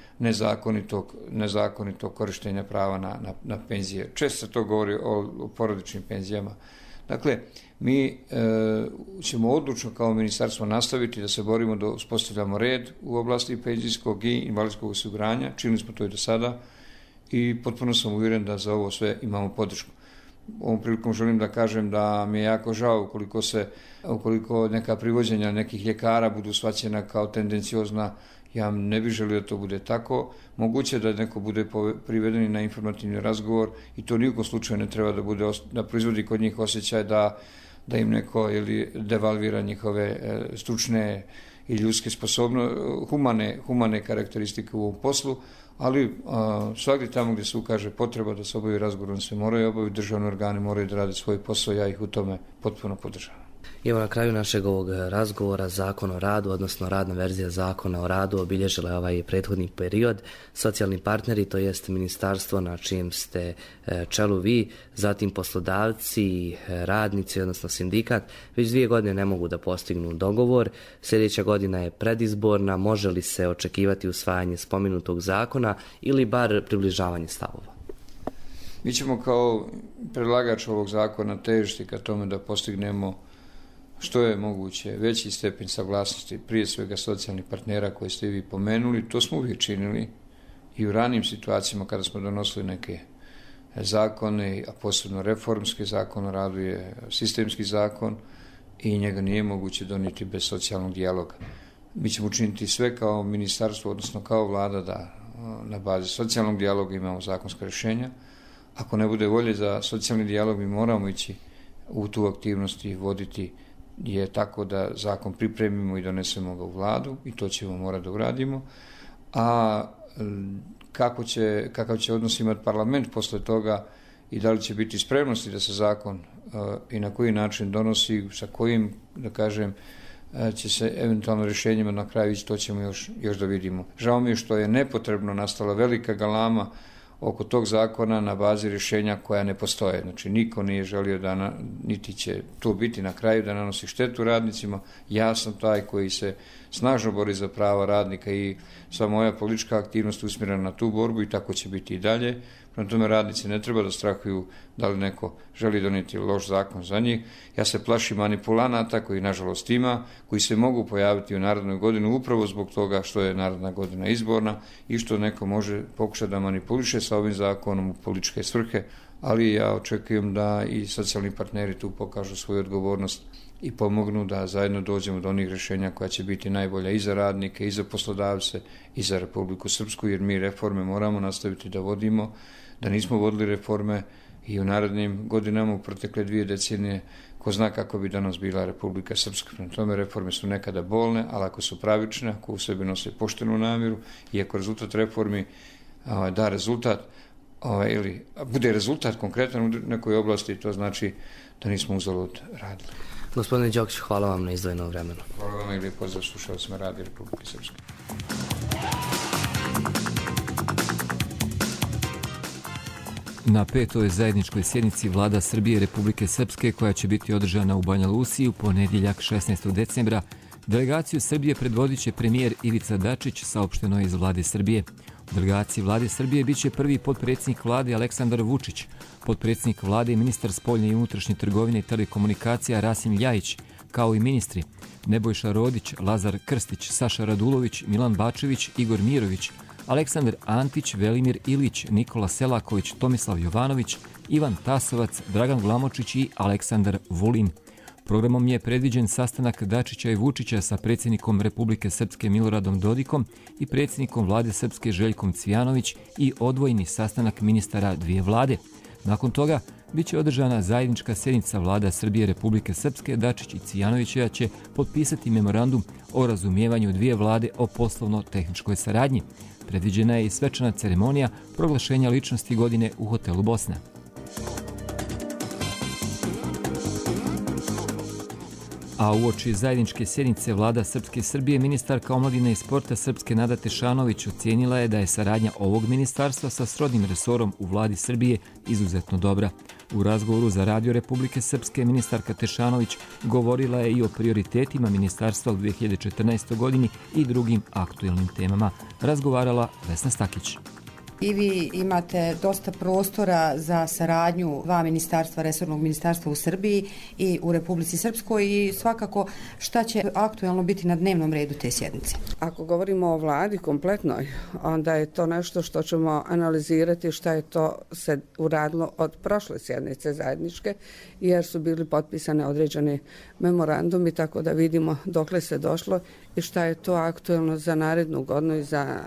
nezakonitog korištenja prava na penzije. Često se to govori o porodičnim penzijama. Dakle, mi ćemo odlučno kao ministarstvo nastaviti da se borimo da uspostavljamo red u oblasti penzijskog i invalidskog osiguranja. Činili smo to i do sada i potpuno sam uvjeren da za ovo sve imamo podršku. Ovom prilikom želim da kažem da mi je jako žao ukoliko neka privođenja nekih ljekara budu shvaćena kao tendenciozna. Ja ne bih želio da to bude tako. Moguće da neko bude priveden na informativni razgovor i to nijekom slučaju ne treba da proizvodi kod njih osjećaj da im neko devalvira njihove stručne i ljudske humane karakteristike u ovom poslu, ali svakdje tamo gdje se ukaže potreba da se obavi razgovor, se moraju obaviti, državni organi moraju da rade svoj posao, ja ih u tome potpuno podržavam. Evo, na kraju našeg ovog razgovora Zakon o radu, odnosno radna verzija Zakona o radu, obilježila je ovaj prethodni period. Socijalni partneri, to jest ministarstvo na čijem ste čelu vi, zatim poslodavci, radnici, odnosno sindikat, već 2 godine ne mogu da postignu dogovor. Sljedeća godina je predizborna, može li se očekivati usvajanje spomenutog zakona ili bar približavanje stavova? Mi ćemo kao predlagač ovog zakona težiti ka tome da postignemo što je moguće veći stepen saglasnosti, prije svega socijalnih partnera koje ste vi pomenuli. To smo uvijek činili i u ranijim situacijama kada smo donosili neke zakone, a posebno reformski zakon o radu je sistemski zakon i njega nije moguće donijeti bez socijalnog dijaloga. Mi ćemo učiniti sve kao ministarstvo, odnosno kao vlada, da na bazi socijalnog dijaloga imamo zakonska rješenja. Ako ne bude volje za socijalni dijalog, mi moramo ići u tu aktivnost i voditi je tako da zakon pripremimo i donesemo ga u vladu i to ćemo morati da uradimo. A kakav će odnos imati parlament posle toga i da li će biti spremnosti da se zakon i na koji način donosi, sa kojim, da kažem, će se eventualno rješenjima na kraju ići, to ćemo još da vidimo. Žao mi je što je nepotrebno nastala velika galama oko tog zakona na bazi rješenja koja ne postoje. Znači, niko nije želio da, niti će to biti na kraju, da nanosi štetu radnicima. Ja sam taj koji se snažno bori za prava radnika i sva moja politička aktivnost usmjerena na tu borbu i tako će biti i dalje. Prema tome radnici ne treba da strahuju da li neko želi donijeti loš zakon za njih. Ja se plašim manipulanata koji nažalost ima, koji se mogu pojaviti u narednoj godini upravo zbog toga što je naredna godina izborna i što neko može pokušati da manipuliše sa ovim zakonom u političke svrhe, ali ja očekujem da i socijalni partneri tu pokažu svoju odgovornost i pomognu da zajedno dođemo do onih rješenja koja će biti najbolja i za radnike, i za poslodavce, i za Republiku Srpsku, jer mi reforme moramo nastaviti da vodimo, da nismo vodili reforme i u narednim godinama, u protekle 2 decenije, ko zna kako bi danas bila Republika Srpska. Prema tome reforme su nekada bolne, ali ako su pravične, ako u sebi nose poštenu namjeru i ako rezultat reformi da rezultat, ili bude rezultat konkretan u nekoj oblasti, to znači da nismo uzalud radili. Gospodine Đokić, hvala vam na izdvojenom vremenu. Hvala vam i lijep pozdrav slušalcima Radija Republike Srpske. Na 5. zajedničkoj sjednici Vlada Srbije i Republike Srpske, koja će biti održana u Banja Luci u ponedjeljak 16. decembra, delegaciju Srbije predvodit će premijer Ivica Dačić, saopšteno je iz Vlade Srbije. U delegaciji Vlade Srbije biće prvi potpredsjednik Vlade Aleksandar Vučić, potpredsjednik Vlade i ministar spoljne i unutrašnje trgovine i telekomunikacija Rasim Ljajić, kao i ministri Nebojša Rodić, Lazar Krstić, Saša Radulović, Milan Bačević, Igor Mirović, Aleksandar Antić, Velimir Ilić, Nikola Selaković, Tomislav Jovanović, Ivan Tasovac, Dragan Glamočić i Aleksandar Vulin. Programom je predviđen sastanak Dačića i Vučića sa predsjednikom Republike Srpske Miloradom Dodikom i predsjednikom Vlade Srpske Željkom Cvijanović i odvojeni sastanak ministara 2 vlade. Nakon toga biće održana zajednička sjednica Vlada Srbije i Republike Srpske. Dačić i Cvijanovića će potpisati memorandum o razumijevanju 2 vlade o poslovno-tehničkoj saradnji. Predviđena je i svečana ceremonija proglašenja ličnosti godine u hotelu Bosna. A uoči zajedničke sjednice Vlada Srpske i Srbije, ministarka omladine i sporta Srpske Nada Tešanović ocijenila je da je saradnja ovog ministarstva sa srodnim resorom u Vladi Srbije izuzetno dobra. U razgovoru za Radio Republike Srpske ministarka Tešanović govorila je i o prioritetima ministarstva u 2014. godini i drugim aktuelnim temama. Razgovarala Vesna Stakić. I vi imate dosta prostora za saradnju 2 ministarstva, resornog ministarstva u Srbiji i u Republici Srpskoj i svakako šta će aktuelno biti na dnevnom redu te sjednice? Ako govorimo o vladi kompletnoj, onda je to nešto što ćemo analizirati šta je to se uradilo od prošle sjednice zajedničke, jer su bili potpisane određene memorandumi, tako da vidimo dokle se došlo i šta je to aktuelno za narednu godinu i za...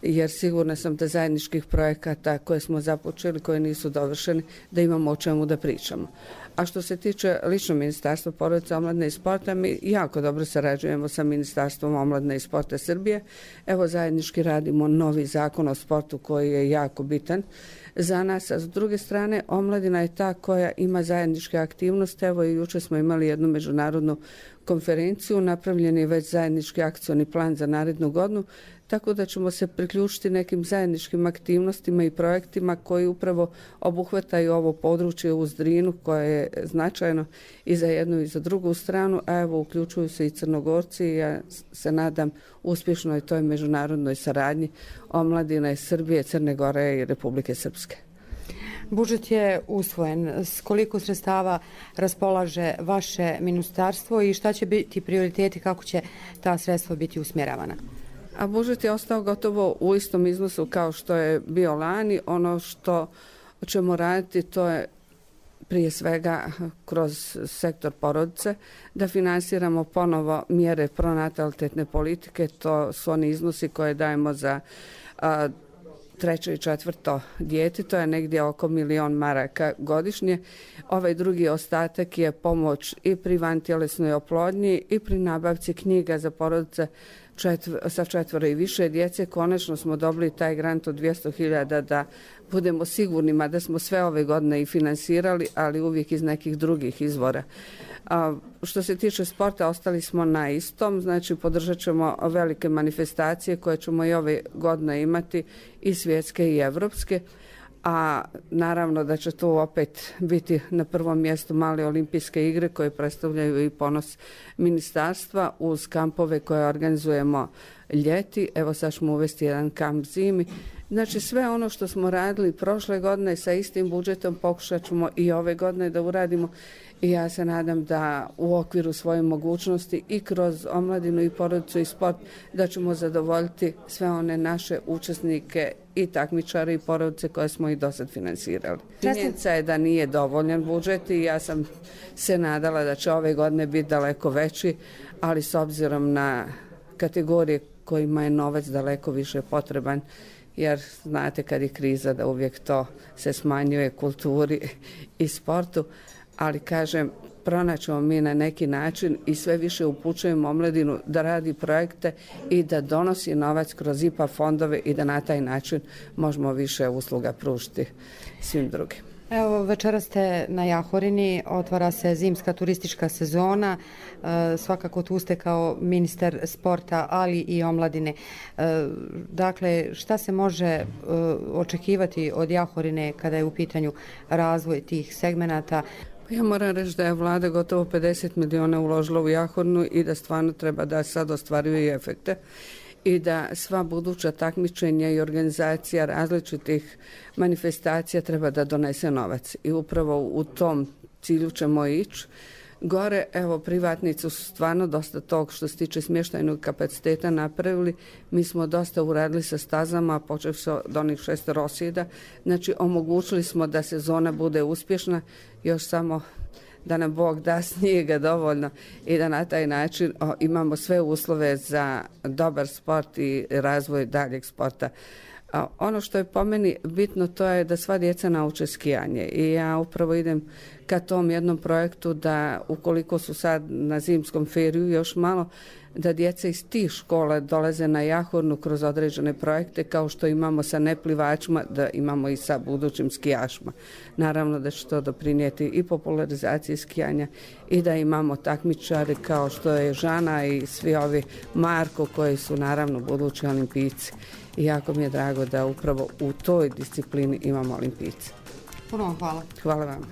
jer sigurna sam da zajedničkih projekata koje smo započeli, koje nisu dovršeni, da imamo o čemu da pričamo. A što se tiče lično Ministarstva porodice, omladine i sporta, mi jako dobro sarađujemo sa Ministarstvom omladine i sporta Srbije. Evo zajednički radimo novi zakon o sportu koji je jako bitan za nas, a s druge strane omladina je ta koja ima zajedničke aktivnosti. Evo i juče smo imali jednu međunarodnu konferenciju, napravljen je već zajednički akcioni plan za narednu godinu, tako da ćemo se priključiti nekim zajedničkim aktivnostima i projektima koji upravo obuhvataju ovo područje uz Drinu koje je značajno i za jednu i za drugu stranu, a evo uključuju se i Crnogorci i ja se nadam uspješnoj toj međunarodnoj saradnji omladine Srbije, Crne Gore i Republike Srpske. Budžet je usvojen. S koliko sredstava raspolaže vaše ministarstvo i šta će biti prioriteti, kako će ta sredstva biti usmjeravana? A budžet je ostao gotovo u istom iznosu kao što je bio lani. Ono što ćemo raditi to je prije svega kroz sektor porodice, da finansiramo ponovo mjere pronatalitetne politike. To su oni iznosi koje dajemo za 3. i 4. dijete, to je negdje oko 1 milion maraka godišnje. Ovaj drugi ostatak je pomoć i pri vantjelesnoj oplodnji i pri nabavci knjiga za porodice sa 4 i više djece. Konačno smo dobili taj grant od 200.000 da budemo sigurnima da smo sve ove godine i finansirali, ali uvijek iz nekih drugih izvora. Što se tiče sporta, ostali smo na istom, znači podržat ćemo velike manifestacije koje ćemo i ove godine imati, i svjetske i evropske, a naravno da će tu opet biti na prvom mjestu male olimpijske igre koje predstavljaju i ponos ministarstva uz kampove koje organizujemo ljeti. Evo sad ćemo uvesti jedan kamp zimi Znači sve ono što smo radili prošle godine sa istim budžetom pokušat ćemo i ove godine da uradimo i ja se nadam da u okviru svoje mogućnosti i kroz omladinu i porodicu i sport da ćemo zadovoljiti sve one naše učesnike i takmičare i porodice koje smo i do sad finansirali. Činjenica je da nije dovoljan budžet i ja sam se nadala da će ove godine biti daleko veći, ali s obzirom na kategorije kojima je novac daleko više potreban, jer znate kad je kriza da uvijek to se smanjuje kulturi i sportu, ali kažem, pronaćemo mi na neki način i sve više upućujemo omladinu da radi projekte i da donosi novac kroz IPA fondove i da na taj način možemo više usluga pružiti svim drugim. Evo, večera ste na Jahorini, otvara se zimska turistička sezona, svakako tu ste kao ministar sporta, ali i omladine. Dakle, šta se može očekivati od Jahorine kada je u pitanju razvoj tih segmenata? Ja moram reći da je vlada gotovo 50 miliona uložila u Jahorinu i da stvarno treba da sad ostvaruje efekte i da sva buduća takmičenja i organizacija različitih manifestacija treba da donese novac. I upravo u tom cilju ćemo ići. Gore, evo, privatnici su stvarno dosta tog što se tiče smještajnog kapaciteta napravili. Mi smo dosta uradili sa stazama, počeli se od onih 6 rosjeda. Znači, omogućili smo da sezona bude uspješna, još samo da nam Bog da snijega dovoljno i da na taj način imamo sve uslove za dobar sport i razvoj daljeg sporta. Ono što je po meni bitno to je da sva djeca nauče skijanje i ja upravo idem ka tom jednom projektu da ukoliko su sad na zimskom feriju još malo, da djeca iz tih škola dolaze na Jahornu kroz određene projekte kao što imamo sa neplivačima, da imamo i sa budućim skijašima. Naravno da će to doprinijeti i popularizaciji skijanja i da imamo takmičare kao što je Žana i svi ovi Marko koji su naravno budući olimpijci. I jako mi je drago da upravo u toj disciplini imamo olimpijce. Puno vam hvala. Hvala vam.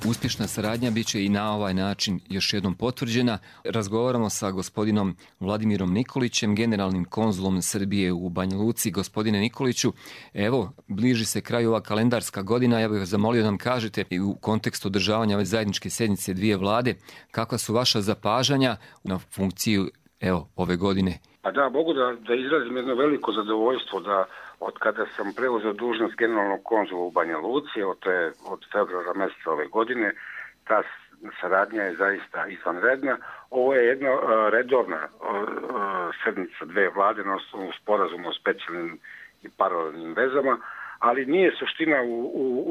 Uspješna saradnja bit će i na ovaj način još jednom potvrđena. Razgovaramo sa gospodinom Vladimirom Nikolićem, generalnim konzulom Srbije u Banja Luci. Gospodine Nikoliću, evo, bliži se kraju ova kalendarska godina. Ja bih vas zamolio da nam kažete u kontekstu održavanja ove zajedničke sjednice dvije vlade, kakva su vaša zapažanja na funkciju ove godine? Pa da, mogu da izrazim jedno veliko zadovoljstvo da od kada sam preuzeo dužnost generalnog konzula u Banja Luci, od februara mjeseca ove godine, ta saradnja je zaista izvanredna. Ovo je jedna redovna sedmica dve vlade na osnovu sporazuma o specijalnim i paralelnim vezama, ali nije suština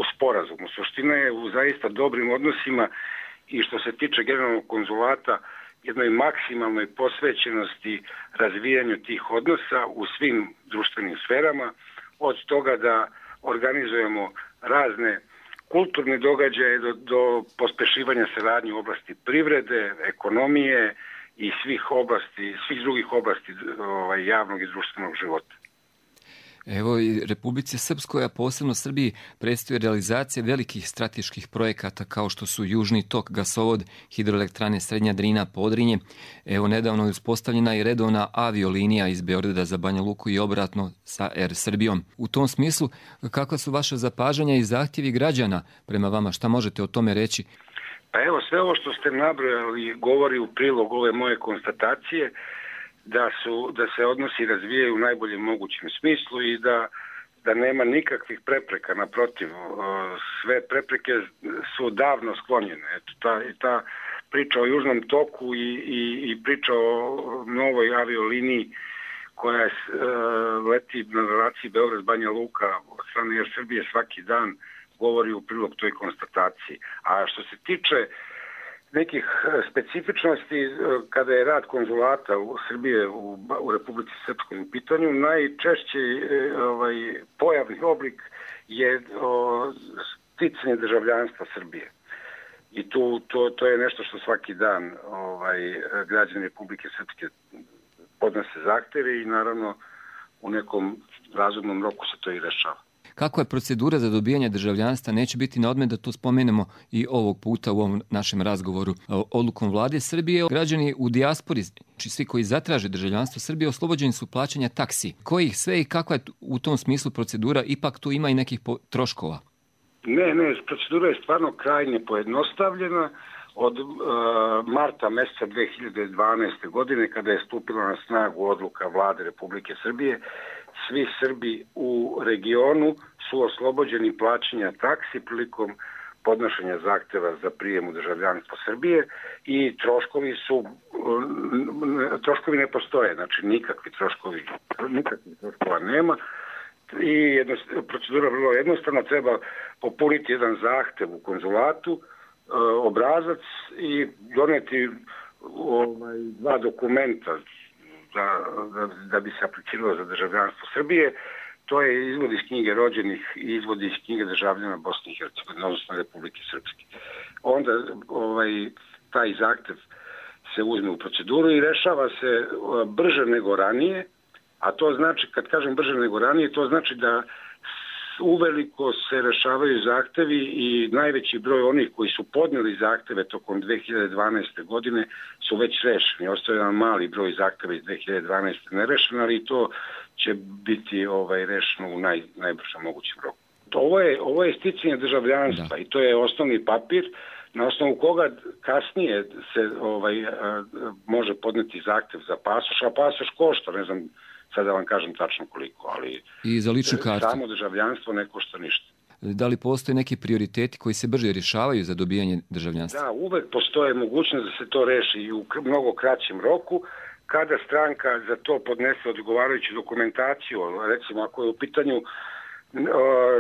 u sporazumu. Suština je u zaista dobrim odnosima i što se tiče generalnog konzulata, jednoj maksimalnoj posvećenosti razvijanju tih odnosa u svim društvenim sferama, od toga da organizujemo razne kulturne događaje do pospešivanja saradnje u oblasti privrede, ekonomije i svih drugih oblasti javnog i društvenog života. Evo i Republici Srpskoj, a posebno Srbiji, predstoji realizacija velikih strateških projekata kao što su Južni tok, gasovod, hidroelektrane Srednja Drina, Podrinje. Evo nedavno je uspostavljena i redovna aviolinija iz Beograda za Banja Luku i obratno sa Air Srbijom. U tom smislu, kakva su vaše zapažanja i zahtjevi građana prema vama? Šta možete o tome reći? Pa evo, sve ovo što ste nabrojali govori u prilog ove moje konstatacije, da se odnosi razvijaju u najboljem mogućem smislu i da nema nikakvih prepreka, naprotiv, sve prepreke su davno sklonjene. Ta priča o Južnom toku i priča o novoj avioliniji koja leti na relaciji Beograd-Banja Luka od strane Air Srbije svaki dan govori u prilog toj konstataciji. A što se tiče nekih specifičnosti kada je rad konzulata u Srbije u Republici Srpskoj u pitanju, najčešći pojavni oblik je sticanje državljanstva Srbije. I to je nešto što svaki dan građani Republike Srpske podnose zahtjeve i naravno u nekom razumnom roku se to i rešava. Kakva je procedura za dobijanje državljanstva? Neće biti na odmet da to spomenemo i ovog puta u ovom našem razgovoru. Odlukom vlade Srbije građani u dijaspori, svi koji zatraže državljanstvo Srbije, oslobođeni su plaćanja taksi. Kojih sve i kakva je u tom smislu procedura? Ipak tu ima i nekih troškova. Ne, procedura je stvarno krajnje pojednostavljena. Od marta mjeseca 2012. godine, kada je stupila na snagu odluka vlade Republike Srbije, svi Srbi u regionu su oslobođeni plaćanja taksi prilikom podnošenja zahtjeva za prijem u državljanstvo Srbije i troškovi ne postoje, znači nikakvih troškova nema. I procedura je vrlo jednostavna, treba popuniti jedan zahtjev u konzulatu, obrazac i doneti 2 dokumenta da bi se apliciralo za državljanstvo Srbije. To je izvod iz knjige rođenih i izvod iz knjige državljana Bosne i Hercegovine, odnosno Republike Srpske. Onda taj zahtjev se uzme u proceduru i rešava se brže nego ranije, a to znači, kad kažem brže nego ranije, to znači da uveliko se rešavaju zahtevi i najveći broj onih koji su podnijeli zahteve tokom 2012. godine su već rešeni. Ostaje jedan mali broj zahteva iz 2012. nerešen, ali to će biti rešeno u najbržem mogućem roku. Ovo je sticanje državljanstva i to je osnovni papir na osnovu koga kasnije se može podneti zahtev za pasoš, a pasoš košta, ne znam sad da vam kažem tačno koliko, ali i za ličnu kartu. Samo državljanstvo ne košta ništa. Da li postoje neki prioriteti koji se brže rješavaju za dobijanje državljanstva? Da, uvek postoje mogućnost da se to reši i u mnogo kraćem roku, kada stranka za to podnese odgovarajuću dokumentaciju, recimo ako je u pitanju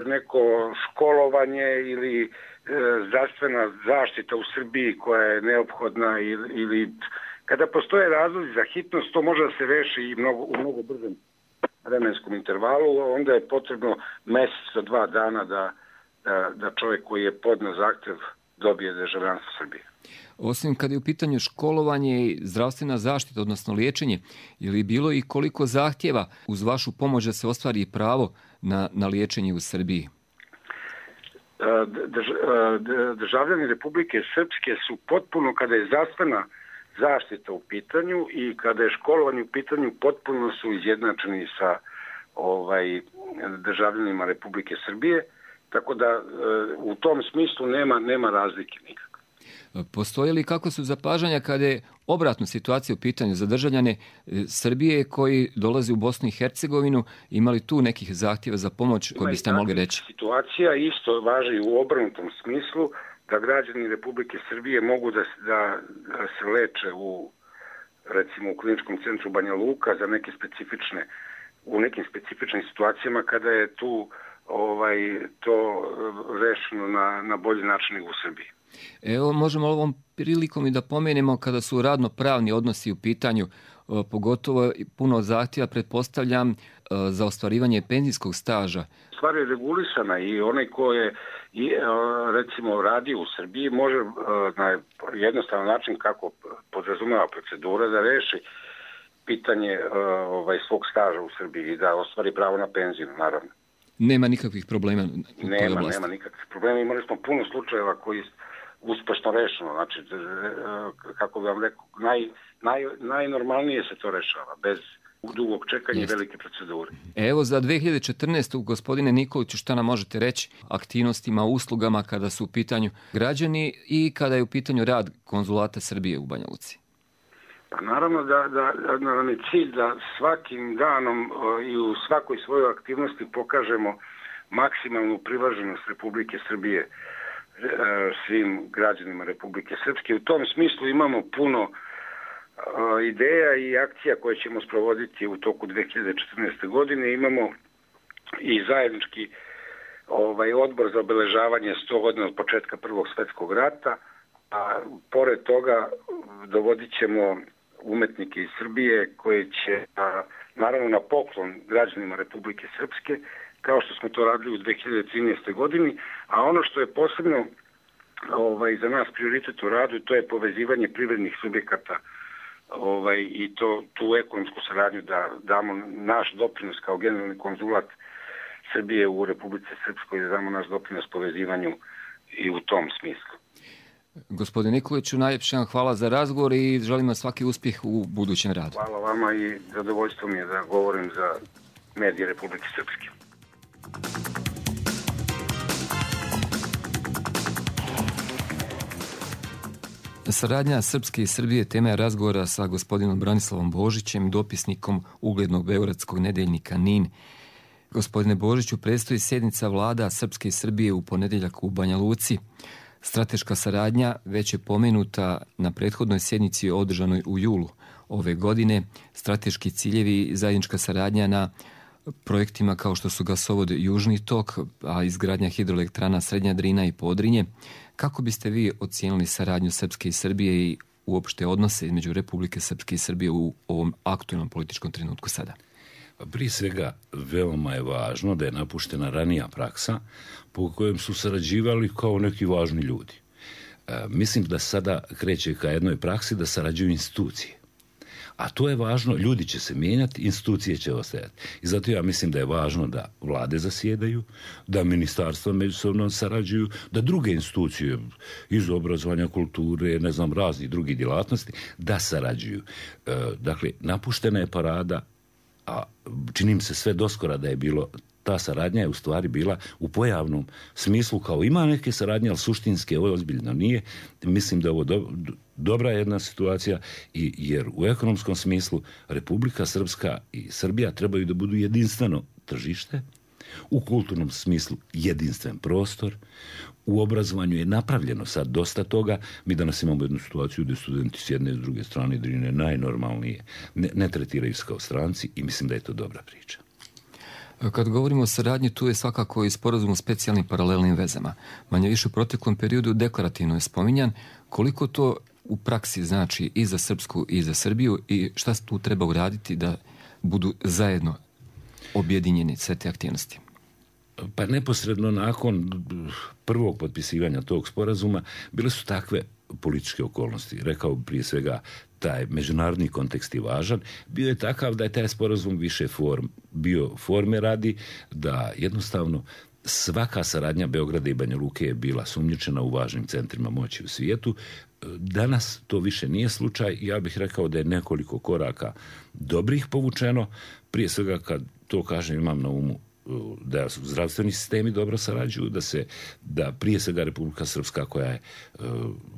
neko školovanje ili zdravstvena zaštita u Srbiji koja je neophodna ili kada postoje razlozi za hitnost, to može da se reši i u mnogo brzem vremenskom intervalu, onda je potrebno mjesec do 2 dana da čovjek koji je podneo zahtjev dobije državljanstvo Srbije. Osim kada je u pitanju školovanje i zdravstvena zaštita, odnosno liječenje, je li bilo i koliko zahtjeva uz vašu pomoć da se ostvari pravo na liječenje u Srbiji? Državljani Republike Srpske su potpuno, kada je zdravstvena zaštita u pitanju i kada je školovanje u pitanju, potpuno su izjednačeni sa državljanima Republike Srbije, tako da u tom smislu nema razlike nikakve. Postoje li kako su zapažanja kada je obratna situacija u pitanju za državljane Srbije koji dolaze u Bosnu i Hercegovinu? Imali tu nekih zahtjeva za pomoć koje biste mogli reći? Situacija isto važi u obrnutom smislu, da građani Republike Srbije mogu da se leče recimo u kliničkom centru Banja Luka u nekim specifičnim situacijama kada je tu to rešeno na bolji način nego u Srbiji. Evo, možemo ovom prilikom i da pomenemo kada su radno-pravni odnosi u pitanju, pogotovo puno zahtjeva, pretpostavljam, za ostvarivanje penzijskog staža. Stvar je regulisana i onaj ko je recimo radio u Srbiji može na jednostavan način kako podrazumeva procedura da reši pitanje svog staža u Srbiji i da ostvari pravo na penziju, naravno. Nema nikakvih problema? Nema nikakvih problema. Imali smo puno slučajeva koji uspešno rešeno. Znači, kako bi vam rekao, najnormalnije se to rešava, bez dugog čekanja i velike procedure. Evo za 2014. gospodine Nikoliću, šta nam možete reći aktivnostima, uslugama kada su u pitanju građani i kada je u pitanju rad konzulata Srbije u Banja Luci? Pa naravno da nam je cilj da svakim danom i u svakoj svojoj aktivnosti pokažemo maksimalnu privrženost Republike Srbije svim građanima Republike Srpske. U tom smislu imamo puno ideja i akcija koje ćemo sprovoditi u toku 2014. godine. Imamo i zajednički odbor za obeležavanje 100 godina od početka Prvog svjetskog rata, a pored toga dovodit ćemo umetnike iz Srbije koji će naravno na poklon građanima Republike Srpske, kao što smo to radili u 2013. godini, a ono što je posebno za nas prioritet u radu, to je povezivanje privrednih subjekata i tu ekonomsku saradnju da damo naš doprinos kao generalni konzulat Srbije u Republici Srpskoj, da damo naš doprinos povezivanju i u tom smislu. Gospodine Nikoliću, najljepše vam hvala za razgovor i želim vam svaki uspjeh u budućem radu. Hvala vama i zadovoljstvo mi je da govorim za medije Republike Srpske. Saradnja Srpske i Srbije tema je razgovora sa gospodinom Branislavom Božićem, dopisnikom uglednog beogradskog nedeljnika NIN. Gospodine Božiću, predstoji sjednica vlada Srpske i Srbije u ponedjeljak u Banja Luci. Strateška saradnja već je pomenuta na prethodnoj sjednici održanoj u julu ove godine. Strateški ciljevi, zajednička saradnja na projektima kao što su gasovod Južni tok, a izgradnja hidroelektrana Srednja Drina i Podrinje. Kako biste vi ocijenili saradnju Srpske i Srbije i uopšte odnose između Republike Srpske i Srbije u ovom aktualnom političkom trenutku sada? Prije svega, veoma je važno da je napuštena ranija praksa po kojem su sarađivali kao neki važni ljudi. Mislim da sada kreće ka jednoj praksi da sarađuju institucije. A to je važno, ljudi će se mijenjati, institucije će ostajati. I zato ja mislim da je važno da vlade zasjedaju, da ministarstva međusobno sarađuju, da druge institucije iz obrazovanja, kulture, ne znam, raznih drugih djelatnosti, da sarađuju. Dakle, napuštena je parada, a čini mi se sve doskora da je bilo, ta saradnja je u stvari bila u pojavnom smislu, kao ima neke saradnje, ali suštinske ovo ozbiljno nije. Mislim da je ovo dobra jedna situacija, jer u ekonomskom smislu Republika Srpska i Srbija trebaju da budu jedinstveno tržište, u kulturnom smislu jedinstven prostor, u obrazovanju je napravljeno sad dosta toga. Mi danas imamo jednu situaciju gdje studenti s jedne i s druge strane Drine najnormalnije ne tretiraju se kao stranci i mislim da je to dobra priča. Kad govorimo o saradnji, tu je svakako i sporazum o specijalnim paralelnim vezama. Manje više u proteklom periodu deklarativno je spominjan. Koliko to u praksi znači i za Srpsku i za Srbiju i šta tu treba uraditi da budu zajedno objedinjeni sve te aktivnosti? Pa neposredno nakon prvog potpisivanja tog sporazuma bile su takve političke okolnosti. Rekao prije svega taj međunarodni kontekst je važan. Bio je takav da je taj sporazum više bio forme radi, da jednostavno svaka saradnja Beograda i Banja Luke je bila sumnjičena u važnim centrima moći u svijetu. Danas to više nije slučaj. Ja bih rekao da je nekoliko koraka dobrih povučeno. Prije svega kad to kažem imam na umu da su zdravstveni sistemi dobro sarađuju, da prije svega Republika Srpska koja je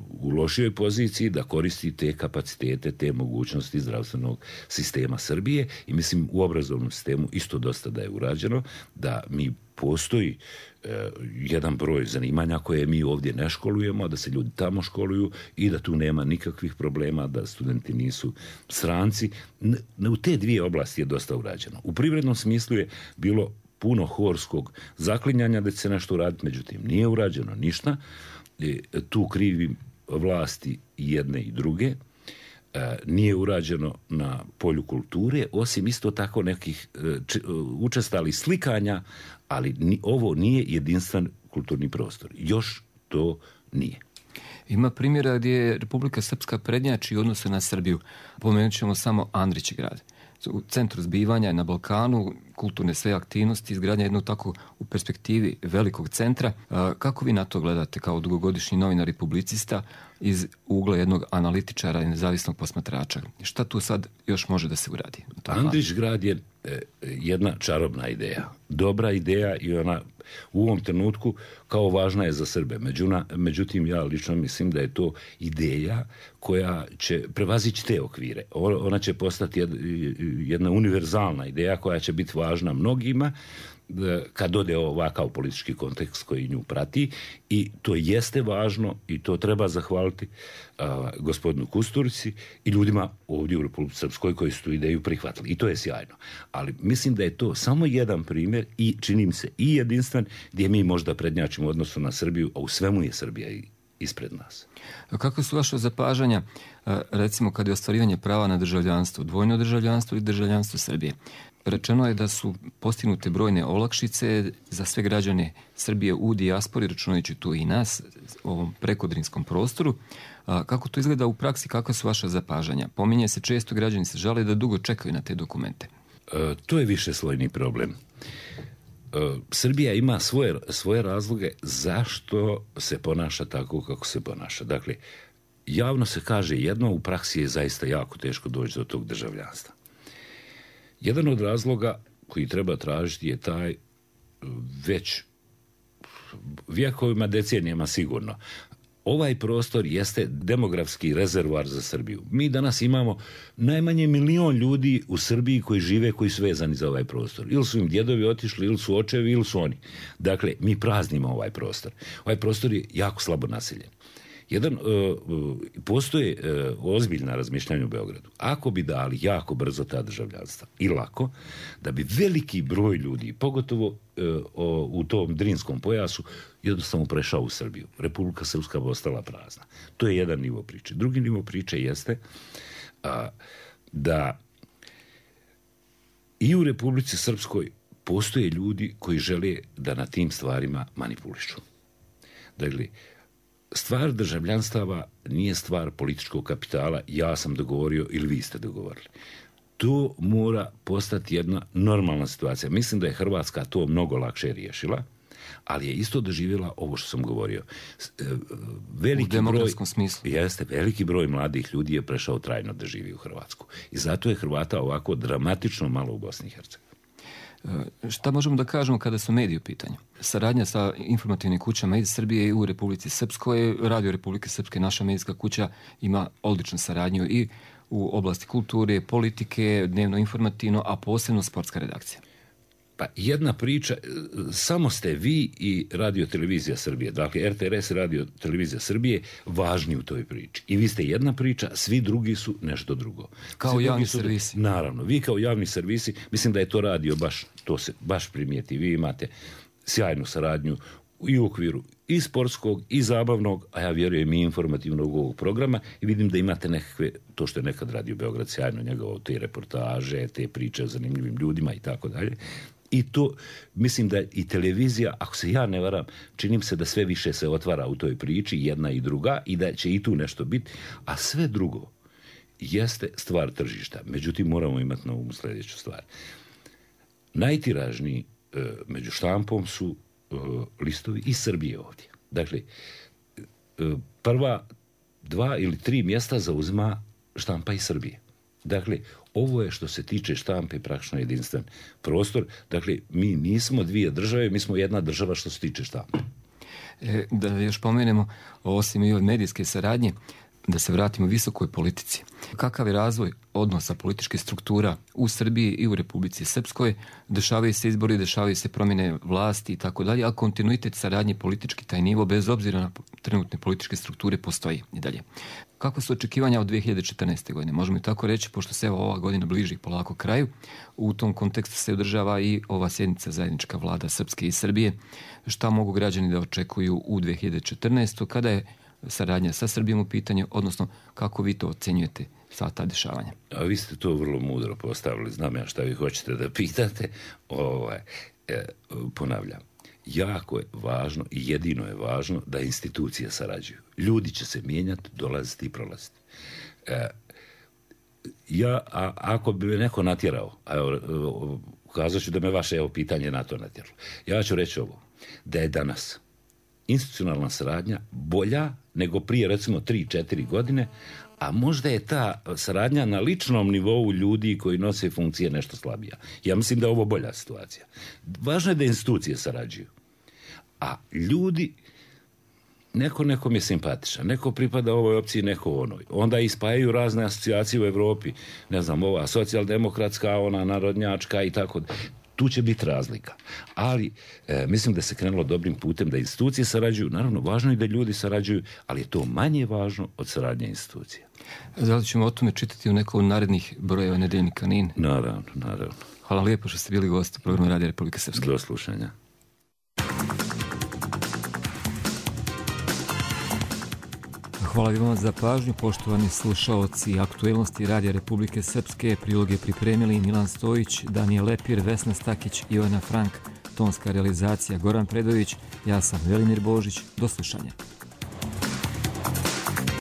u lošijoj poziciji da koristi te kapacitete, te mogućnosti zdravstvenog sistema Srbije i mislim u obrazovnom sistemu isto dosta da je urađeno, da mi postoji jedan broj zanimanja koje mi ovdje ne školujemo, da se ljudi tamo školuju i da tu nema nikakvih problema, da studenti nisu stranci. U te dvije oblasti je dosta urađeno. U privrednom smislu je bilo puno horskog zaklinjanja da će se nešto uraditi, međutim nije urađeno ništa. Tu krivim vlasti jedne i druge. Nije urađeno na polju kulture, osim isto tako nekih učestalih slikanja, ali ovo nije jedinstven kulturni prostor. Još to nije. Ima primjera gdje je Republika Srpska prednjači u odnosu na Srbiju. Pomenut ćemo samo Andrićegrad. U centru zbivanja na Balkanu, kulturne sve aktivnosti, izgradnja jednog tako u perspektivi velikog centra. Kako vi na to gledate kao dugogodišnji novinar i publicista iz ugla jednog analitičara i nezavisnog posmatrača? Šta tu sad još može da se uradi? Andrićegrad je jedna čarobna ideja. Dobra ideja i ona u ovom trenutku kao važna je za Srbe. Međutim, ja lično mislim da je to ideja koja će prevazići te okvire. Ona će postati jedna univerzalna ideja koja će biti važna mnogima kad ode ovakav politički kontekst koji nju prati i to jeste važno i to treba zahvaliti gospodinu Kusturici i ljudima ovdje u Republici Srpskoj koji su tu ideju prihvatili i to je sjajno. Ali mislim da je to samo jedan primjer i čini mi se i jedinstven gdje mi možda prednjačimo u odnosu na Srbiju, a u svemu je Srbija ispred nas. Kako su vaše zapažanja, recimo kad je ostvarivanje prava na državljanstvo, dvojno državljanstvo i državljanstvo Srbije? Rečeno je da su postignute brojne olakšice za sve građane Srbije u dijaspori, računajući tu i nas, u ovom prekodrinskom prostoru. Kako to izgleda u praksi, kakva su vaša zapažanja? Pominje se često, građani se žale da dugo čekaju na te dokumente. To je višeslojni problem. Srbija ima svoje razloge zašto se ponaša tako kako se ponaša. Dakle, javno se kaže jedno, u praksi je zaista jako teško doći do tog državljanstva. Jedan od razloga koji treba tražiti je taj već vjekovima, decenijama sigurno. Ovaj prostor jeste demografski rezervoar za Srbiju. Mi danas imamo najmanje 1 milion ljudi u Srbiji koji žive, koji su vezani za ovaj prostor. Ili su im djedovi otišli, ili su očevi, ili su oni. Dakle, mi praznimo ovaj prostor. Ovaj prostor je jako slabo naseljen. Postoje ozbiljna razmišljanja u Beogradu. Ako bi dali jako brzo ta državljanstva i lako, da bi veliki broj ljudi, pogotovo u tom Drinskom pojasu, jednostavno prešao u Srbiju. Republika Srpska bi ostala prazna. To je jedan nivo priče. Drugi nivo priče jeste da i u Republici Srpskoj postoje ljudi koji žele da na tim stvarima manipulišu. Dakle, stvar državljanstava nije stvar političkog kapitala, ja sam dogovorio ili vi ste dogovorili. To mora postati jedna normalna situacija. Mislim da je Hrvatska to mnogo lakše riješila, ali je isto doživjela ovo što sam govorio. U demografskom smislu. Jeste, veliki broj mladih ljudi je prešao trajno da živi u Hrvatsku. I zato je Hrvata ovako dramatično malo u Bosni i Hercegovini. Šta možemo da kažemo kada su mediji u pitanju? Saradnja sa informativnim kućama iz Srbije i u Republici Srpskoj, Radio Republike Srpske, naša medijska kuća, ima odličnu saradnju i u oblasti kulture, politike, dnevno informativno, a posebno sportska redakcija. Pa jedna priča, samo ste vi i Radio Televizija Srbije, dakle RTRS i Radio Televizija Srbije, važni u toj priči. I vi ste jedna priča, svi drugi su nešto drugo. Kao javni servisi. Naravno, vi kao javni servisi, mislim da je to radio to se baš primijeti. Vi imate sjajnu saradnju i u okviru i sportskog i zabavnog, a ja vjerujem i informativnog ovog programa i vidim da imate nekakve, to što je nekad Radio Beograd sjajno njegovo, te reportaže, te priče o zanimljivim ljudima i tako dalje. I to, mislim da i televizija, ako se ja ne varam, činim se da sve više se otvara u toj priči, jedna i druga, i da će i tu nešto biti, a sve drugo jeste stvar tržišta. Međutim, moramo imati na umu sljedeću stvar. Najtiražniji među štampom su listovi iz Srbije ovdje. Dakle, prva 2 ili 3 mjesta zauzima štampa iz Srbije. Dakle, ovo je što se tiče štampe praktično jedinstven prostor. Dakle, mi nismo dvije države, mi smo jedna država što se tiče štampe. Da još pomenemo, osim i ove medijske saradnje, da se vratimo visokoj politici. Kakav je razvoj odnosa političkih struktura u Srbiji i u Republici Srpskoj? Dešavaju se izbori, dešavaju se promjene vlasti i tako dalje, a kontinuitet saradnje politički, taj nivo, bez obzira na trenutne političke strukture, postoji i dalje. Kako su očekivanja od 2014. godine? Možemo i tako reći, pošto se ova godina bliži polako kraju, u tom kontekstu se održava i ova sjednica zajednička vlada Srpske i Srbije. Šta mogu građani da očekuju u 2014. kada je saradnja sa Srbijom u pitanju, odnosno kako vi to ocenjujete sva ta dešavanja? A vi ste to vrlo mudro postavili, znam ja šta vi hoćete da pitate. Ponavljam, jako je važno i jedino je važno da institucije sarađuju. Ljudi će se mijenjati, dolaziti i prolaziti. Ako bi me neko natjerao, kazat ću da me vaše pitanje na to natjeralo. Ja ću reći ovo, da je danas institucionalna saradnja bolja nego prije recimo 3-4 godine, a možda je ta saradnja na ličnom nivou ljudi koji nose funkcije nešto slabija. Ja mislim da je ovo bolja situacija. Važno je da institucije sarađuju. A ljudi, nekom je simpatičan, neko pripada ovoj opciji, neko onoj. Onda ispajaju razne asocijacije u Evropi, ne znam, ova socijaldemokratska, ona narodnjačka i tako. Tu će biti razlika. Ali mislim da se krenulo dobrim putem da institucije sarađuju. Naravno, važno je da ljudi sarađuju, ali je to manje važno od saradnje institucija. Da li ćemo o tome čitati u nekom narednih brojeva nedeljnika NIN? Naravno. Hvala lijepo što ste bili gost u programu Radija Republike Srpske. Do slušanja. Hvala vam za pažnju, poštovani slušaoci Aktuelnosti Radija Republike Srpske. Priloge pripremili Milan Stojić, Danijel Lepir, Vesna Stakić, Ivana Frank, tonska realizacija Goran Predović, ja sam Velimir Božić. Do slušanja.